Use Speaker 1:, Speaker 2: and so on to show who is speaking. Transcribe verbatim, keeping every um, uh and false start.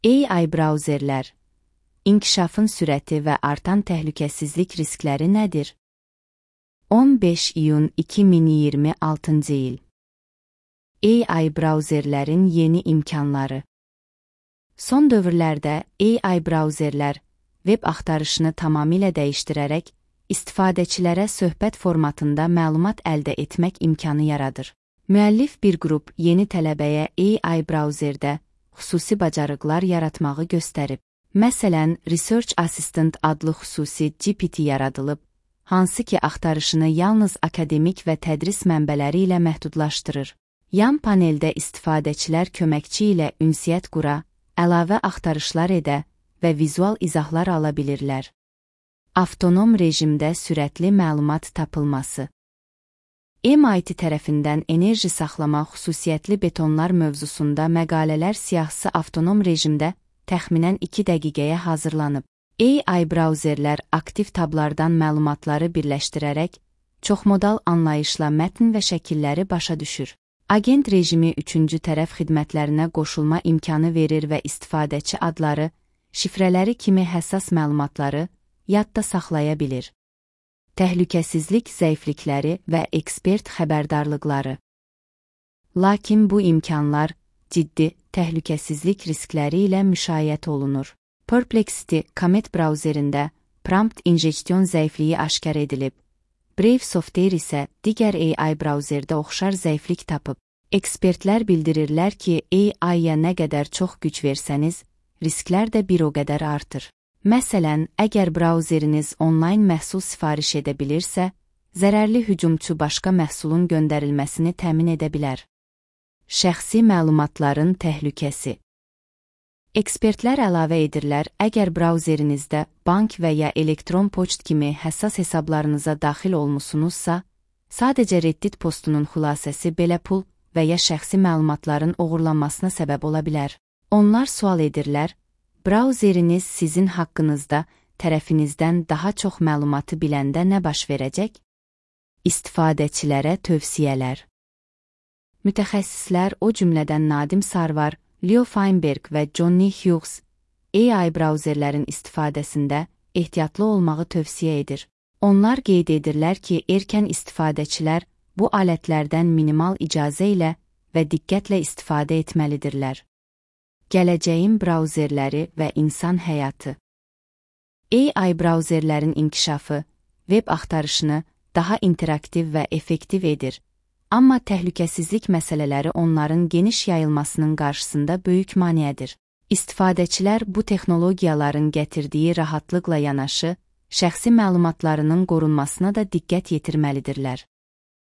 Speaker 1: A I brauzerlər, inkişafın sürəti və artan təhlükəsizlik riskləri nədir? on beş iyun iki min iyirmi altıncı il. A I brauzerlərin yeni imkanları. Son dövrlərdə A I brauzerlər veb axtarışını tamamilə dəyişdirərək istifadəçilərə söhbət formatında məlumat əldə etmək imkanı yaradır. Müəllif bir qrup yeni tələbəyə A I brauzerdə xüsusi bacarıqlar yaratmağı göstərib. Məsələn, Research Assistant adlı xüsusi G P T yaradılıb, hansı ki axtarışını yalnız akademik və tədris mənbələri ilə məhdudlaşdırır. Yan paneldə istifadəçilər köməkçi ilə ünsiyyət qura, əlavə axtarışlar edə və vizual izahlar ala bilirlər. Avtonom rejimdə sürətli məlumat tapılması. M I T tərəfindən enerji saxlama xüsusiyyətli betonlar mövzusunda məqalələr siyahısı avtonom rejimdə təxminən iki dəqiqəyə hazırlanıb. A I brauzerlər aktiv tablardan məlumatları birləşdirərək çoxmodal anlayışla mətn və şəkilləri başa düşür. Agent rejimi üçüncü tərəf xidmətlərinə qoşulma imkanı verir və istifadəçi adları, şifrələri kimi həssas məlumatları yadda saxlaya bilir. Təhlükəsizlik zəiflikləri və ekspert xəbərdarlıqları. Lakin bu imkanlar ciddi təhlükəsizlik riskləri ilə müşayiət olunur. Perplexity Comet brauzerində prompt injection zəifliyi aşkar edilib. Brave Software isə digər A I brauzerdə oxşar zəiflik tapıb. Ekspertlər bildirirlər ki, A I-ya nə qədər çox güc versəniz, risklər də bir o qədər artır. Məsələn, əgər brauzeriniz onlayn məhsul sifariş edə bilirsə, zərərli hücumçu başqa məhsulun göndərilməsini təmin edə bilər. Şəxsi məlumatların təhlükəsi. Ekspertlər əlavə edirlər, əgər brauzerinizdə bank və ya elektron poçt kimi həssas hesablarınıza daxil olmusunuzsa, sadəcə Reddit postunun xülasəsi belə pul və ya şəxsi məlumatların oğurlanmasına səbəb ola bilər. Onlar sual edirlər, brauzeriniz sizin haqqınızda tərəfinizdən daha çox məlumatı biləndə nə baş verəcək? İstifadəçilərə tövsiyələr. Mütəxəssislər, o cümlədən Nadim Sarvar, Leo Feinberg və Johnny Hughes A I brauzerlərin istifadəsində ehtiyatlı olmağı tövsiyə edir. Onlar qeyd edirlər ki, erkən istifadəçilər bu alətlərdən minimal icazə ilə və diqqətlə istifadə etməlidirlər. Gələcəyin brauzerləri və insan həyatı. A I brauzerlərin inkişafı veb axtarışını daha interaktiv və effektiv edir. Amma təhlükəsizlik məsələləri onların geniş yayılmasının qarşısında böyük maneədir. İstifadəçilər bu texnologiyaların gətirdiyi rahatlıqla yanaşı, şəxsi məlumatlarının qorunmasına da diqqət yetirməlidirlər.